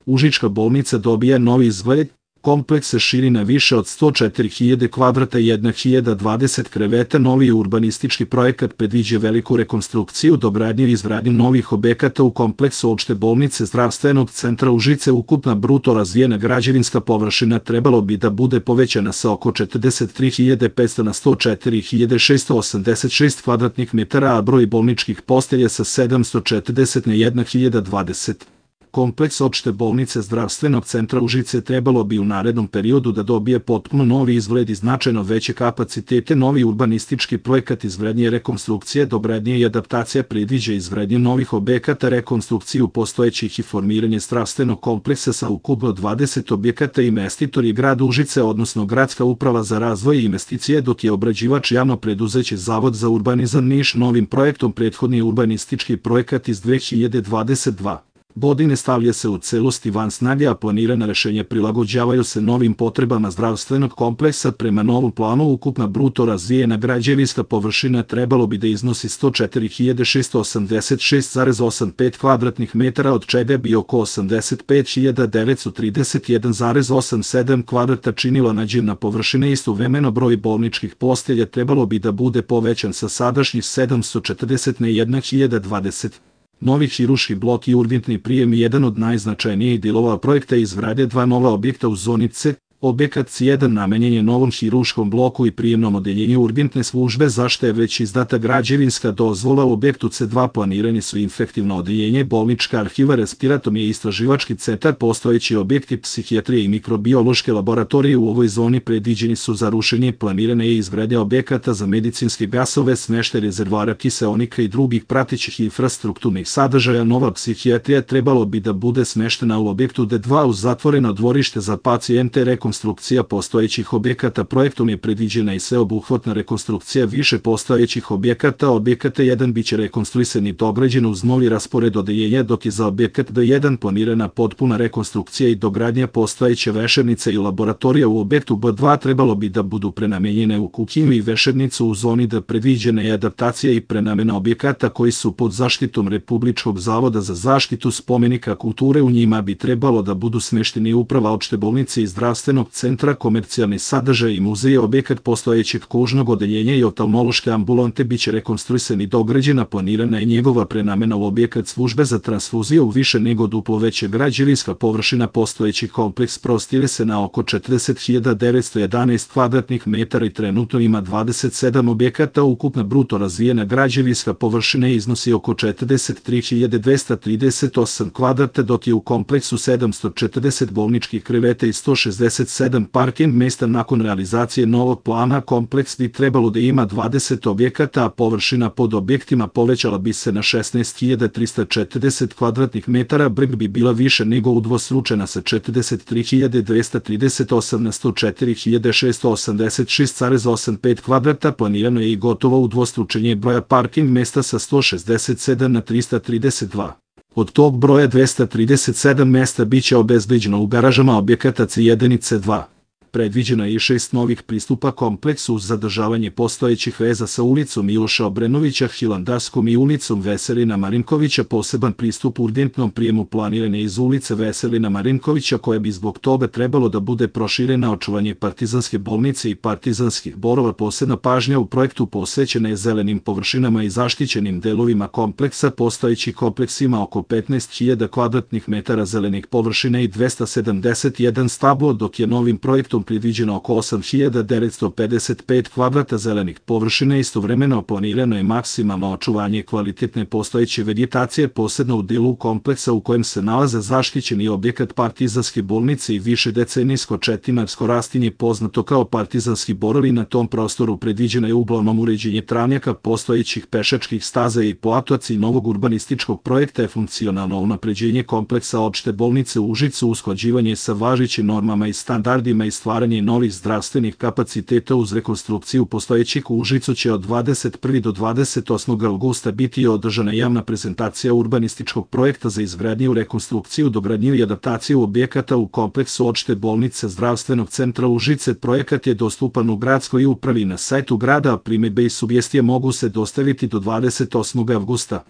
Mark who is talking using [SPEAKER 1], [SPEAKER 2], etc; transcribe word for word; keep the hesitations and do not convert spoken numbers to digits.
[SPEAKER 1] Užička bolnica dobija novi izgled, kompleks se širi na više od sto četiri hiljade kvadrata i jedna hiljada dvadeset kreveta. Novi urbanistički projekat predviđa veliku rekonstrukciju, dogradnju i izgradnju novih objekata u kompleksu opšte bolnice zdravstvenog centra Užice. Ukupna bruto razvijena građevinska površina trebalo bi da bude povećana sa oko četrdeset tri hiljade petsto na sto četiri hiljade šesto osamdeset šest kvadratnih metara, a broj bolničkih postelja sa sedamsto četrdeset na jedna hiljada dvadeset. Kompleks opšte bolnice zdravstvenog centra Užice trebalo bi u narednom periodu da dobije potpuno novi izgled i značajno veće kapacitete. Novi urbanistički projekat izgradnje, rekonstrukcije, dogradnje i adaptacija predviđa izgradnju novih objekata, rekonstrukciju postojećih i formiranje zdravstvenog kompleksa sa ukupno dvadeset objekata. Investitor je grad Užice, odnosno Gradska uprava za razvoj i investicije, dok je obrađivač javno preduzeće Zavod za urbanizam Niš. Novim projektom prethodni urbanistički projekat iz dve hiljade dvadeset druge godine stavlja se u celosti van snage, a planirana rešenja prilagođavaju se novim potrebama zdravstvenog kompleksa. Prema novom planu ukupna bruto razvijena građevinska površina trebalo bi da iznosi sto četiri hiljade šesto osamdeset šest zarez osamdeset pet kvadratnih metara, od čega bi oko osamdeset pet hiljada devetsto trideset jedan zarez osamdeset sedam kvadrata činila nađena površina. Istovremeno broj bolničkih postelja trebalo bi da bude povećan sa sadašnjih sedamsto četrdeset na jedna hiljada dvadeset. Novi hiruški blok i urgentni prijem je jedan od najznačajnijih delova projekta. Izgrade dva nova objekta u zoni C. Objekat C jedan namenjen je novom hiruškom bloku i prijemnom odeljenju urgentne službe, za što je već izdata građevinska dozvola. U objektu C dva planirani su infektivno odeljenje, bolnička arhiva, respiratorni i istraživački centar. Postojeći objekti psihijatrije i mikrobiološke laboratorije u ovoj zoni predviđeni su za rušenje. Planirana je izgradnja objekata za medicinske gasove, smeštaj rezervoara kiseonika i drugih pratećih infrastrukturnih sadržaja. Nova psihijatrija trebalo bi da bude smeštena u objektu D dva uz zatvoreno dvorište za pacijente. Rekonstrukcija postojećih objekata. Projektom je predviđena i sveobuhvatna rekonstrukcija više postojećih objekata. Objekat D jedan biće rekonstruisan i dograđen uz novi raspored odeljenja, dok je za objekat D jedan planirana potpuna rekonstrukcija i dogradnja postojeće vešernice i laboratorija. U objektu B dva trebalo bi da budu prenamenjene u kuhinju i vešernicu. U zoni D predviđena je adaptacija i prenamena objekata koji su pod zaštitom Republičkog zavoda za zaštitu spomenika kulture. U njima bi trebalo da budu smešteni uprava opšte bolnice i zdravstvenog centra, komercijalni sadržaj i muzeje. Objekat postojećeg kožnog odeljenja i oftalmološke ambulante biće rekonstruisan i dograđena. Planirana je njegova prenamena u objekat službe za transfuziju. Više nego duplo veća građevinska površina postojeći kompleks prostire se na oko četrdeset hiljada devetsto jedanaest kvadratnih metara i trenutno ima dvadeset sedam objekata. Ukupna bruto razvijena građevinska površina iznosi oko četrdeset tri hiljade dvesta trideset osam kvadrata, dok je u kompleksu sedamsto četrdeset bolničkih kreveta i sto šezdeset sedam parking mesta. Nakon realizacije novog plana kompleks bi trebalo da ima dvadeset objekata, a površina pod objektima povećala bi se na šesnaest hiljada trista četrdeset kvadratnih metara. Breg bi bila više nego udvostručena sa četrdeset tri hiljade dvesta trideset osam na sto četiri hiljade šesto osamdeset šest zarez osamdeset pet kvadrata. Planirano je i gotovo udvostručenje broja parking mesta sa sto šezdeset sedam na trista trideset dva. Od tog broja dvesta trideset sedam mesta biće obezbeđeno u garažama objekata C jedan i C dva. Predviđeno je i šest novih pristupa kompleksu uz zadržavanje postojećih veza sa ulicom Miloša Obrenovića, Hilandarskom i ulicom Veselina Marinkovića. Poseban pristup urgentnom prijemu planiran je iz ulice Veselina Marinkovića, koja bi zbog toga trebalo da bude proširena. Očuvanje partizanske bolnice i partizanskih borova. Posebna pažnja u projektu posvećena je zelenim površinama i zaštićenim delovima kompleksa. Postojeći kompleks ima oko petnaest hiljada kvadratnih metara zelenih površina i dvesta sedamdeset jedan stablo, dok je novim projektom predviđeno oko osam hiljada devetsto pedeset pet kvadrata zelenih površina. Istovremeno planirano je maksimalno očuvanje kvalitetne postojeće vegetacije, posebno u delu kompleksa u kojem se nalaze zaštićeni objekat partizanske bolnice i višedecenijsko četinarsko rastinje poznato kao partizanski borovi. Na tom prostoru predviđeno je uglavnom uređenje travnjaka, postojećih pešačkih staza i platovaca. Novog urbanističkog projekta je funkcionalno unapređenje kompleksa opšte bolnice u Užicu, usklađivanje sa važećim normama i standardima i stvaranje novih zdravstvenih kapaciteta. Uz rekonstrukciju postojećih u Užicu će od dvadeset prvog do dvadeset osmog avgusta biti održana javna prezentacija urbanističkog projekta za izgradnju, rekonstrukciju, dogradnju i adaptaciju objekata u kompleksu opšte bolnice zdravstvenog centra Užice. Projekat je dostupan u gradskoj upravi na sajtu grada, a primedbe i sugestije mogu se dostaviti do dvadeset osmog avgusta.